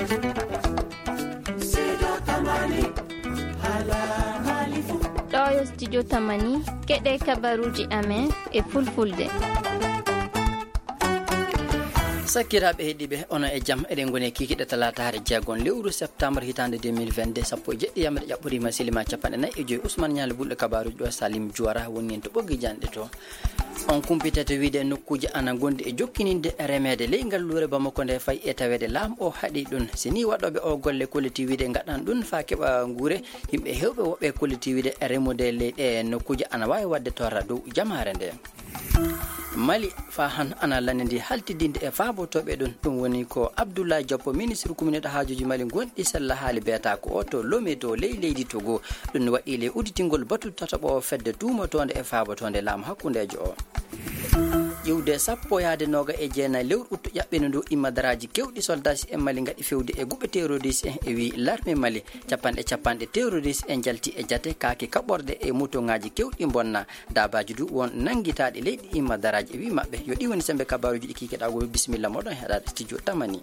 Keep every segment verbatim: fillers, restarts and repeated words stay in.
Ɗo yo studio Tamani, keɗe kabaruuji amen e fulfulde. Sakiraaɓe heɗiiɓe, ono e jam, eɗen ngoni e kikiɗe talaataare jeegon lewru septembre hitaande deux mille vingt-deux, sappo e jeɗɗi yamre ƴaɓɓoriima silima capanɗe nayi e joyi. Ousmane Ñaali Bulɗo kabaruuji ɗo, Salim Juwara woni en to ɓoggi janɗe to. On kumpitete wiide nokkuuji ana ngondi e jokkininde remeede ley ngalluure Bamako nde, fay e taweede laamu o haɗi ɗum. Si ni waɗooɓe o golle kolliti wiide ngaɗan ɗum faa keɓa nguure, yimɓe heewɓe woɓɓe kolliti wiide remude ley ɗe nokkuuji ana waawi waɗde torra dow jamaare nde. Mali faa han ana lanndi haltidinde e faabotooɓe ɗum. Ɗum woni ko Abdoulaye Diop, ministre kuminɗo haajuuji Mali gonɗi sella haali beetaa ko o to Lomé to ley leydi Togo. Ɗum waɗi ley udditingol batu tataɓo fedde tuumotoonde e faabotoonde laamu hakkundeejo o. Ƴiwde sappo yahde nooga e jeenayi lewru uttu ƴaɓɓindu ndu, immadaraaji keewɗi soldaaji en Mali ngaɗi fewde e guɓe terroriste en, e wii larme Mali. Capanɗe capanɗe terroriste en njalti e jate kaake kaɓorɗe e mutoŋaaji keewɗi mbonna. Daabaaji du won nanngitaaɗi leydi immadaraaji e wii maɓɓe. Yo ɗi woni sembe kabaruuji ɗi kikiɗaa go, bisimilla moɗon heɗaade studio Tamani.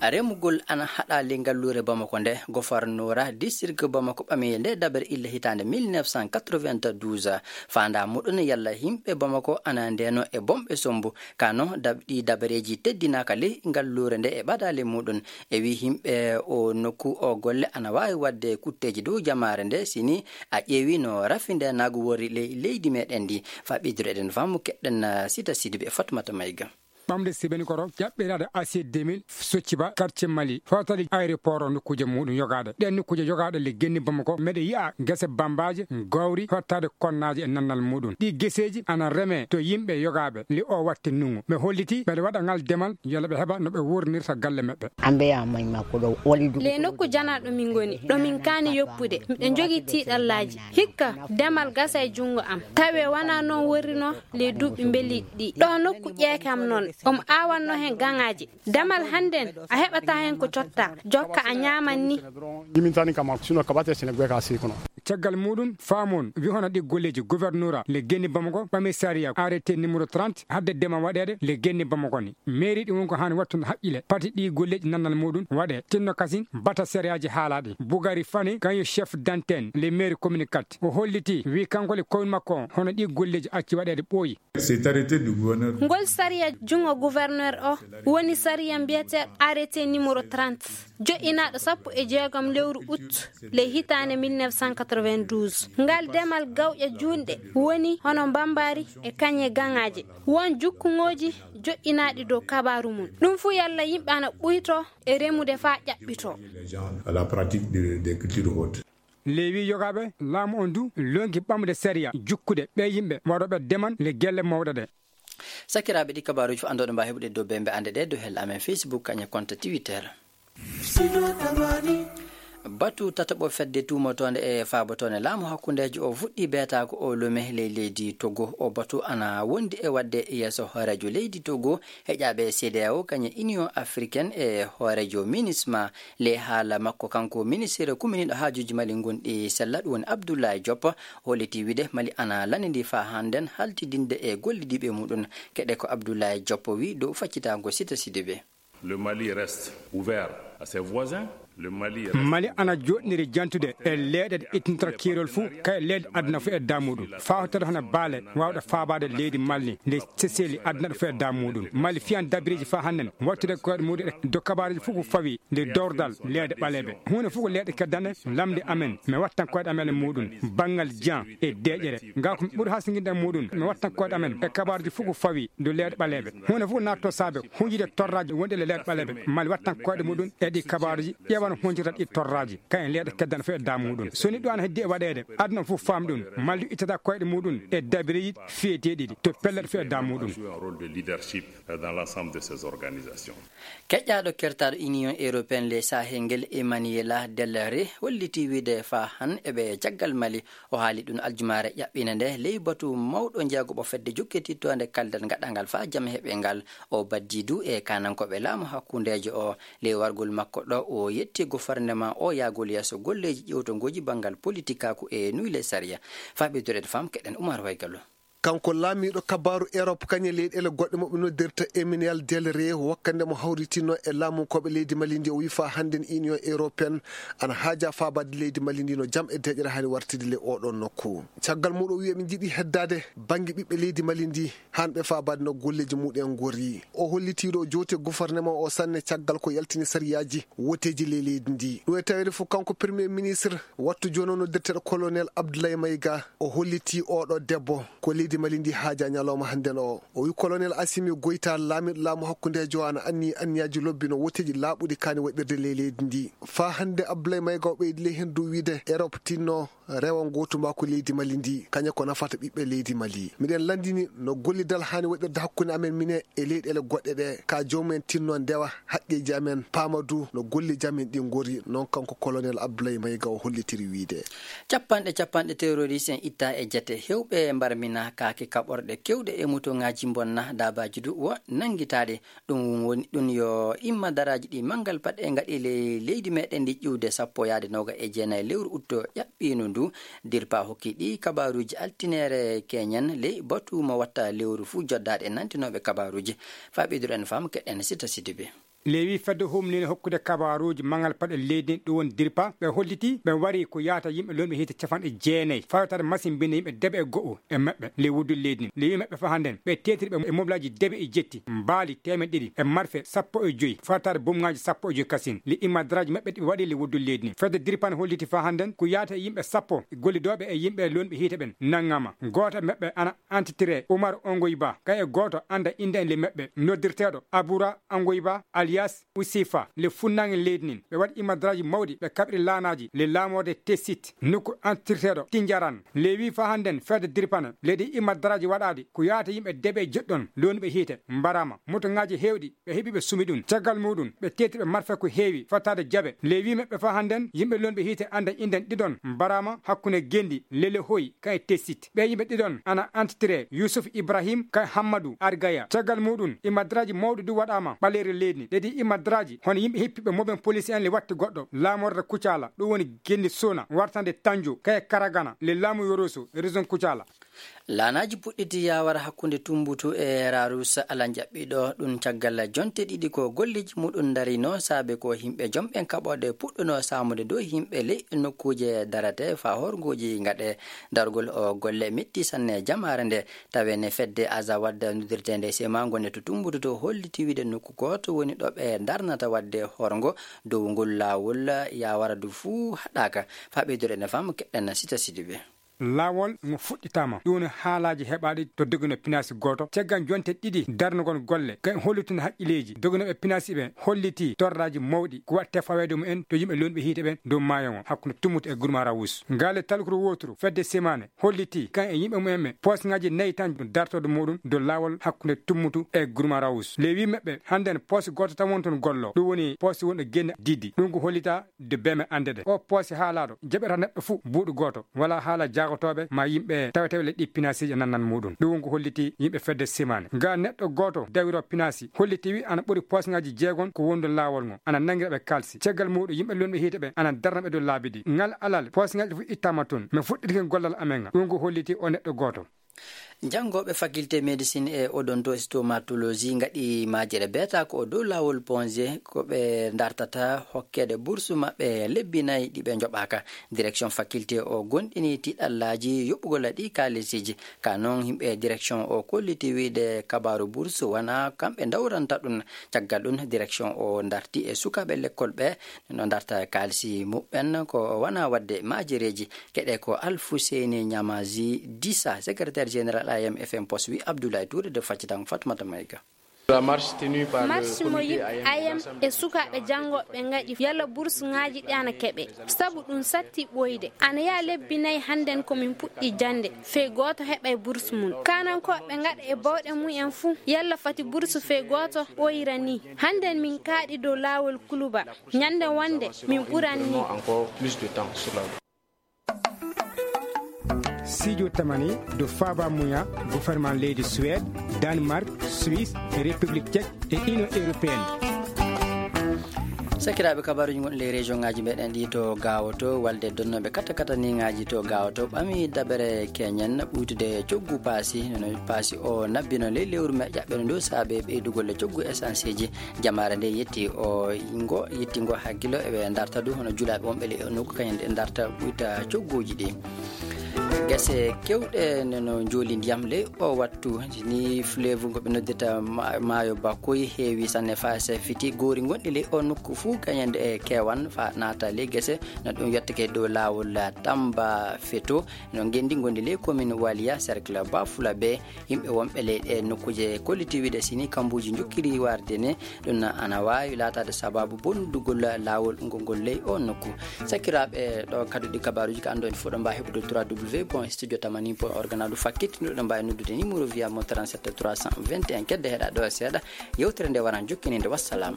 Remugol ana haɗa ley ngalluure Bamako nde, gofarnoora district Bamako ɓami nde dabere illa hitaande mille neuf cent quatre-vingt-douze. Faandaa muɗum yalla yimɓe Bamako ana ndeeno e bomɓe sombu. Kano dab-, ɗi dabareeji teddinaaka ley ngalluure nde e ɓadaale muɗum. E wii yimɓe o nokku o golle ana waawi waɗde kutteeji dow jamaare nde, si ni a ƴeewi no rafi nde naagu worri ley leydi meɗen ndi. Faa ɓeydude eɗen faamu keɗɗen, ah, Sita Sidibe e Fatmata Mayga. Ɓamde sibeni koro ƴaɓɓiraade A C deux mille Socciba quartier Mali, hotali aéroport o nokkuuje muɗum yogaade. Ɗen nokkuuje yogaaɗe le genni Bamako, meɗe yi'a gese bambaaje, gawri, hottaade konnaaje e nannal muɗum. Ɗi geseeji ana reme to yimɓe yogaaɓe le o watte nungu. Ɓe holliti ɓeɗe waɗa ngal demal yalla ɓe heɓa no ɓe wurnirta galle maɓɓe. Ambe ya mai ma ko ɗo wali du. Le nokku janaaɗo min ngoni, ɗo min kaani yoppude. Miɗo jogii tiiɗallaaji. Hikka demal gasa e junngo am. Tawi wanaa noon worrinoo le duuɓi mbeliiɗi ɗi. Ɗo nokku ƴeekam noon, omo aawanno heen gaŋaaji. Damal hannden, a heɓataa heen ko cottaa. Jokka a ñaaman ni. Yimintani kama, sino kabate sene gwe ka sikono. Caggal muɗum, faamon, wi hono ɗi golleeji gouverneur le genni Bamako, ɓami sariya, arrêté numéro trente, hadde dema waɗeede le genni Bamako ni. Mairie ɗi won ko haani wattude haqqile, pati ɗi golleeji nannal muɗum waɗe. Tinno kasin, bata sariyaaji haalaaɗi. Bugari Fani, kañum chef d'antenne, le maire commune quatre. O holliti, wi kanko le commune makko, hono ɗi golleeji acci waɗeede ɓooyi. Cet arrêté du gouverneur. Ngol sariya junngo gouverneur o woni sariya mbiyeteeɗo arrêté numéro trente, joƴƴinaaɗo sappo e jeegom lewru août le hitaande mille neuf cent quatre-vingt-douze. Ngal demal gawƴa juunɗe woni hono mbambaari e kañe gaŋaaje. Won jukkuŋooji joƴƴinaaɗi dow kabaaru mum. Ɗum fuu yalla yimɓe ana ɓuyto e remude faa ƴaɓɓito. Les gens à la pratique de, des cultures hautes. Leewi yogaaɓe laamu on du lonki ɓamde sariya jukkude ɓe yimɓe waɗooɓe demal le gelle mawɗe ɗe. Sakiraaɓe, ɗi kabaaruuji fof anndooɗo mbaa heɓude dow bembe annde ɗe dow hel amen Facebook kañe compte Twitter. Batu tataɓo fedde tuumotoonde e faabotoonde laamu hakkundeejo o fuɗɗi beetaako o Lomé ley leydi Togo. O batu ana wondi e waɗde yeeso hooreejo leydi Togo, heƴaaɓe C D A O, kañe Union Africaine e hooreejo MINUSMA. Le haala makko kanko ministre kuminiiɗo haajuuji Mali ngonɗi sella, ɗum woni Abdoulaye Diop, holliti wiide Mali ana lanndi faa hannden haltidinde e gollidiiɓe muɗum. Keɗe ko Abdoulaye Diop wi dow faccitaango Sita Sidibe. Le Mali reste ouvert à ses voisins. Le Mali reste Mali ana joɗniri jantude e leeɗe ɗe ittinta kiirol fuu, kay leeɗe aduna fuu e damuɗum. Faa hottata hono baale waawɗe faabaade leydi Mali, nde seseli aduna ɗo fuu e damuɗum. Mali fiyan dabiriji faa hannden wattude koyɗe muɗum e do kabaruji fuu ko fawi nde dowrdal leeɗe ɓaleeɓe. Huunde fuu ko leeɗe keddane lamnde amen, mi wattan koyɗe amen e muɗum, banngal jan e deeƴere. Ngal ko mi ɓuri hasinginde e muɗum, mi wattan koyɗe amen e kabaruji fuu ko fawi do leeɗe ɓaleeɓe. Huunde fuu ko naatto saabe hunjude torraaji wonɗi e leeɗe ɓaleeɓe. Mali wattan koyɗe muɗum e ɗi kabaruji, ƴeewan hunjirta ɗi torraaji, kayen leeɗe keddane fuu e damuɗum. So ni ɗum ana heddi e waɗeede, aduna fuu faam ɗum. Mali ittata koyɗe muɗum e dabiriji fiyeteeɗi ɗi to pellet fuu e damuɗum. Jouer un rôle de leadership dans l'ensemble de ces organisations. Keƴƴaaɗo kertaaɗo Union Européenne le Sahel ngel, Emmanuela Del Rey, holliti wiide faa han eɓe caggal Mali. O haali ɗum aljumaare ƴaɓɓiinde nde ley batu mawɗo jeegoɓo fedde jokkitittoonde kaldal gaɗangal faa jam heɓe ngal. O baddi du e kaanankooɓe laamu hakkundeejo o. Ley wargol makko ɗo, o yetti gofarnema o yaagol yeeso golleeji ƴewtongooji banngal politikaaku e nuyle sariya. Faa ɓeydude faam keɗen Umar Waygallo. Kanko laamiiɗo kabaaru Erop, kañe leyɗeele goɗɗe mo ɓe noddirta Emmanuel Del Rey, wakkande mo hawritinno e laamunkooɓe leydi Mali ndi, o wi faa hannden Union Européenne ana haaja faabaade leydi Mali ndi no jam e deeƴere haani wartide ley oɗon nokku. Caggal muuɗum o wi eɓe njiɗi heddaade bannge ɓiɓɓe leydi Mali ndi, haan ɓe faabaade no golleeji muɗen ngori. O holliti ɗo joote gouvernement o sanne caggal ko yaltini sariyaaji woteeji ley leydi ndi. Ɗum e taweede fof kanko premier ministre wattu jooni o noddirteeɗo colonel Abdoulaye Maïga, o holliti oɗo debbo ko leydi Mali ndi haaja ñalawma hannden o. O wi colonel Assimi Goïta, laamiiɗo laamu hakkundeejo o, ana anni anniyaaji lobbi no woteeji laaɓuɗi kaani waɗirde ley leydi ndi. Faa hannde Abdoulaye Maïga o ɓeydi ley heen dow wiide Erop tinno rewa ngootu makko leydi Mali ndi, kañum ko nafata ɓiɓɓe leydi Mali. Miɗen lanndini no gollidal haani waɗirde hakkunde amen minen e leyɗeele goɗɗe ɗe, ka joomum en tinno ndewa haqqeeji amen, paama du no golleeji amen ɗi ngori, noon kanko colonel Abdoulaye Maïga o hollitiri wiide. Capanɗe capanɗe terroriste en itta e jate, heewɓe mbarmina kaake kaɓorɗe keewɗe e mutongaaji bonna, daabaaji du wo nanngitaade. Ɗum woni ɗum yo imma daraaji ɗi manngal paɗe ngaɗi ley leydi meɗen ndi ƴiwde sappo yaade noga e jeenayi lewru utto ƴaɓɓiino ndu. Dirpa hokki ɗi kabaaruuji altineere keñen ley batu mo watta lewru fuu joddaade e nantinooɓe kabaaruuji. Faa ɓeyduɗen fam keɗen Sita Sidibe. Lewi fedde humnine hokkude kabaaruuji manngal paɗe leydi ndi, ɗum woni Dirpa, ɓe holliti ɓe wari ko yaata yimɓe lonɓe hiite capanɗe jeenayi fawtaade machine mbinde yimɓe deɓe e go'o e maɓɓe ley wuddu leydi ndi. Lewi maɓɓe faa hannden ɓe teetiri ɓe e moblaaji deɓe e jetti, mbaali teemeɗɗe ɗiɗi e marfe sappo e joy fawtaade bomŋaaji sappo e joy kasin. Ley immadraaji maɓɓe ɗi ɓe waɗi ley wuddu leydi ndi, fedde Dirpa ne holliti faa hannden ko yaata e yimɓe sappo gollidooɓe e yimɓe lonɓe hiite ɓen nanngama. Gooto e maɓɓe ana antitiree Umar Ongoyba, kay e gooto annda innde en ley maɓɓe noddirteeɗo Abura Ongoyba alias Usifa. Ley funnaange leydi ndin ɓe waɗi immadraaji mawɗi, ɓe kaɓiri laanaaji ley laamorde Tesit nokku antirteeɗo Tinjaran. Lewi faa hannden fedde Dirpa ne leydi immadraaji waɗaaɗi ko yaata yimɓe deɓe joɗɗon lonɓe hiite mbaraama, motoŋaaji heewɗi ɓe heɓi ɓe sumi ɗum. Caggal muuɗum ɓe teetiri ɓe marfe ko heewi fottaade jaɓe. Lewi maɓɓe faa hannden yimɓe lonɓe hiite annda innde en ɗiɗon mbaraama hakkunde genndi Lele Hoy kan e Tesit. Ɓee yimɓe ɗiɗon ana antitiree Yusuf Ibrahim kan e Hammadu Argaya. Caggal muuɗum immadraaji mawɗi du waɗaama ɓaleeri leydi ndi. Ɗe ɗi immadraaji hono yimɓe hippiiɓe moɓen poliisi en le watti goɗɗo laamorde Kucala, ɗum woni genndi Sona wartande Tanjo kan e Karagana le laamu Yoroso région Kucala. Laanaaji puɗɗiti yaawara hakkunde Tumbutu e Raarus, alaa jaɓɓiiɗo ɗum caggal jonte ɗiɗi ko golleeji muɗum ndarino, saabe ko yimɓe jomɓen kaɓorɗe puɗɗuno saamude dow yimɓe ley nokkuuje darate faa horngooji ngaɗe. Dargol o golle metti sanne jamaare nde, taweede fedde Azawad noddirteende Sema ngonde to Tumbutu to holliti wiide nokku gooto woni ɗo ɓe ndarnata waɗde horngo dow ngol laawol yaawara du fuu haɗaaka. Faa ɓeydude ne fam keɗɗen Sita Sidibe. Laawol ngo fuɗɗitaama. Ɗum woni haalaaji heɓaaɗi to dogino pinaasi gooto. Caggal jonte ɗiɗi darnugol golle, kay hollitunde haqqileeji doginooɓe pinaasi ɓe hollitii torraaji mawɗi ko waɗte faweede mumen to yimɓe lonɓe hiite ɓen dow maayo ngo hakkunde Tummutu e Gurma Rawus. Ngaale talkuru wooturu fedde Semaane hollitii kan e yimɓe mumen ɓe poosŋaaji nayi tan dartorde muɗum dow laawol hakkunde Tummutu e Gurma Rawus. Ley wii maɓɓe hannden poos gooto tan woni toon gollo, ɗum woni poos wonɗo Genne Didi. Ɗum ko hollitaa de beme annde ɗe. O poos haalaaɗo jaɓata neɗɗo fuu buuɗu gooto. Walaa haala jaagotooɓe maa yimɓe taweteeɓe ley ɗi pinaasiiji nannan muuɗum. Ɗum woni ko holliti yimɓe fedde Simaane. Ga neɗɗo gooto dawiroo pinaasi holliti wi ana ɓuri poosŋaaji jeegon ko wondu laawol ngo, ana nanngira ɓe kaalsi. Caggal muuɗum yimɓe lonɓe hiite ɓe ana darna ɓe dow laabi ɗi. Ngal alal poosŋaaji ɗi fof ittaama toon. Min fuɗɗirki gollal amen ngal. Ɗum ko holliti o neɗɗo gooto. Janngooɓe faculté médecine e odontostomatologie ngaɗi majere beeta ko dow laawol ponje ko ɓe dartata hokkeede bourse maɓɓe lebbi nayi ɗi ɓe njoɓaaka. Direction faculté o gonɗini tiɗallaaji yoɓugol ɗi kaalisiji. Ka noon yimɓe direction o kolliti wiide kabaaru bourse wona kamɓe dawranta ɗum. Caggal ɗum direction o darti e sukaaɓe lekkol ɓe no darta kaalisi muɓɓen ko wona waɗde majereeji. Keɗe ko Alfuseyni Ñamaji Disa, secrétaire général A M F M Post, wi Abdoulaye Touré de Faccitan Fatmata Mayga. Marche mo yimɓe A M e sukaaɓe janngooɓe ngaɗi yalla bourse ŋaaji ɗi ana keɓe. Sabu ɗum satti ɓooyde. Ana yaa lebbi nayi hannden ko min puɗɗi jannde. Fey gooto heɓay bourse mum. Kaanankooɓe ngaɗa e bawɗe mumen fuu yalla fati bourse fey gooto ɓooyra ni. Hannden min kaaɗi dow laawol Kuluba. Ñande wonde min ɓuran ni. Sijo tamani do faba muya gouvernement leydi Suède, Danemark, Suisse, République Tchèque et Union Européenne. Sakiraaɓe, kabaruuji gonɗi ley région ŋaaji meɗen ɗi to Gaawo to, walde donnooɓe kata kataniŋaaji to Gaawo to, ɓami dabere keñen ɓuytude coggu paasi, no paasi o nabbino ley lewru me ƴaɓɓeno ndu saabe ɓeydugol e coggu essence ji. Jamaare nde yetti o ngo, yetti ngo hakkilo eɓe darta du hono julaaɓe wonɓe ley o nokku kañen ɗe darta ɓuyta cogguuji ɗi. Gese kewɗe no, no njooli ndiyam ley o wattu. Ni fleuve ngo ɓe noddirta ma-, maayo Bakoy heewi sanne faa sefiti. Goori gonɗi ley o nokku fuu kañen e kewan faa naata ley gese. No ɗum yottake dow laawol Tamba Feto. No ngenndi ngondi ley commune Waliya, cercle Bafula ɓe. Yimɓe wonɓe ley ɗe nokkuuje kolliti wiide sini kambuuji njokkiri warde ne, ɗum ana waawi laataade sabaabu bonnugol laawol ngol ngol ley o nokku. Sakiraaɓe, ɗo kadduɗi kabaruuji ka anndo en fof ɗo mbaawi heɓude trois W point studio tamani point org na ɗum fakkit, ɗo ɗo mbaawi noddude numéro via mo trente-sept trois cent vingt et un. Kedde heɗa ɗo seeɗa, yewtere nde waran jokkininde. Wassalam.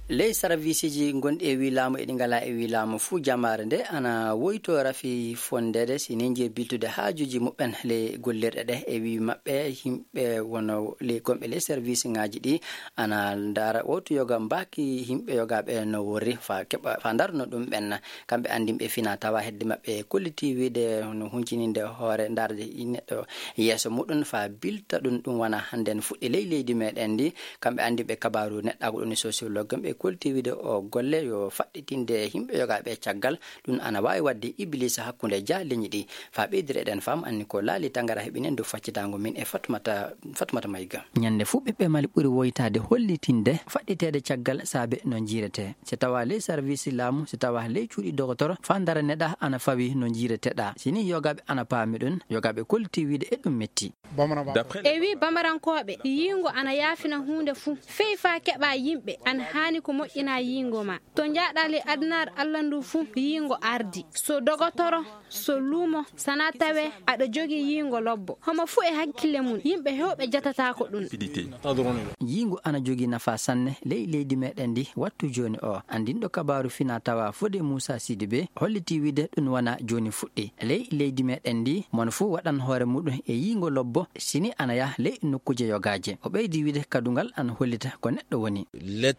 Ley sarviisiji gonɗi e wii laamu e ɗi ngalaa e wii laamu fuu, jamaare nde ana woyto rafi fonndere si nenji e biltude haajuuji muɓɓen ley gollirɗe ɗe. E wii maɓɓe, yimɓe wono ley gonɓe ley sarviisiŋaaji ɗi ana ndaara wowtu yoga mbaaki yimɓe yogaaɓe no worri faa keɓa, faa ndarno ɗum ɓen. Kamɓe anndinɓe fina tawa hedde maɓɓe kolliti wiide no huncininde hoore, ndaarde neɗɗo yeeso muɗum faa bilta ɗum, ɗum wona hannden fuɗɗi ley leydi meɗen ndi. Kamɓe anndinɓe kabaaru neɗɗaagu ɗum e sociologue, kamɓe kolliti wiide o golle yo faɗɗitinde yimɓe yogaaɓe caggal, ɗum ana waawi waɗde ibilisa hakkunde jaaleñi ɗi. Faa ɓeydira eɗen faam anni ko laali tangara heɓinen dow faccitaango min e Fatmata, Fatmata Mayga. Ñande fuu ɓiɓɓe Mali ɓuri woytaade hollitinde faɗɗiteede caggal saabe no njiirete. Si tawa ley sarviisi laamu, si tawa ley cuuɗi dogotoro, faa ndaraneɗaa ana fawi no njiireteɗaa. Si ni yogaaɓe ana paami ɗum, yogaaɓe kolliti wiide e ɗum metti. E wii bamarankooɓe, yiingo ana yaafina huunde fuu. Fey faa keɓaa yimɓe, ana haani ko moƴƴinaa yiingo maa. To njaaɗaa ley adunaaru Alla ndu fuu, yiingo ardi. So dogotoro, so luumo, sana tawee aɗa jogii yiingo lobbo. Homo fuu e hakkille mum, yimɓe heewɓe jatataako ɗum. Yiingo ana jogii nafaa sanne ley leydi meɗen ndi wattu jooni o. Anndinɗo kabaaru fina tawa Fode Muusa Sidibe holliti wiide ɗum wona jooni fuɗɗi. Ley leydi meɗen ndi, mon fuu waɗan hoore muɗum e yiingo lobbo, sini ana yaha ley nokkuuje yogaaje. O ɓeydi wiide kadungal ana hollita ko neɗɗo woni. Illa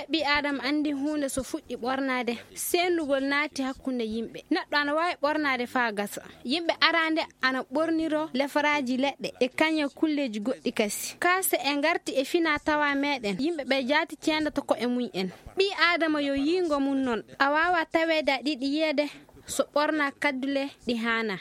ɓii Aadama anndi huunde so fuɗɗi ɓornaade, seendugol naati hakkunde yimɓe. Neɗɗo ana waawi ɓornaade faa gasa. Yimɓe araande ana ɓorniroo lefaraaji leɗɗe e kañe kulleeji goɗɗi kasi. Kaa se en ngarti e fina tawa meɗen, yimɓe ɓe jaati ceendato ko'e mum en. Ɓii Aadama yo yiingo mum non, a waawaa taweede aɗa yiɗi yiyeede so ɓornaa kaddule ɗi haanaa.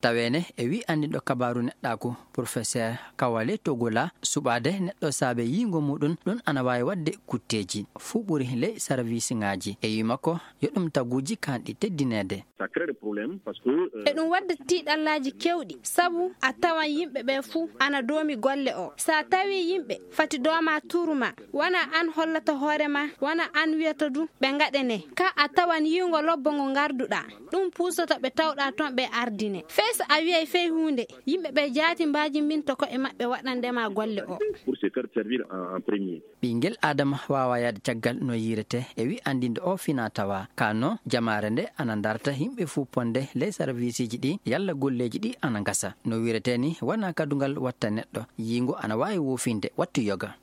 Taweene e wii anndinɗo kabaaru neɗɗaaku, Professeur Kawale Togola, suɓaade neɗɗo saabe yiingo muɗum, ɗum ana waawi waɗde kutteeji. Fuu ɓuri ley sarviisiŋaaji. E wii makko, yo ɗum taguuji kaanɗi teddineede. Ça crée des problèmes parce que, euh, E ɗum wadda tiiɗallaaji keewɗi, sabu a tawan yimɓe ɓe fuu ana doomi golle o. Sa tawi yimɓe fati dooma turu ma, wona an hollata hoore ma, wona an wiyata du ɓe ngaɗene. Ka a tawan yiingo lobbo ngo ngarduɗaa, ɗum puusata ɓe tawɗaa toon ɓe ardine. Fey so a wiyay fey huunde, yimɓe ɓe jaati mbaajimbinta ko'e maɓɓe waɗande ma golle o. Pour se faire servir en, en premier. Ɓinngel Aadama waawaa yahde caggal no yiiretee, e wii anndinde o fina tawa. Ka no jamaare nde ana ndarta yimɓe fuu ponde ley sarviisiiji ɗi, yalla golleeji ɗi ana ngasa. No wiiretee ni, wonaa kadungal watta neɗɗo. Yiingo ana waawi woofinde wattu yoga.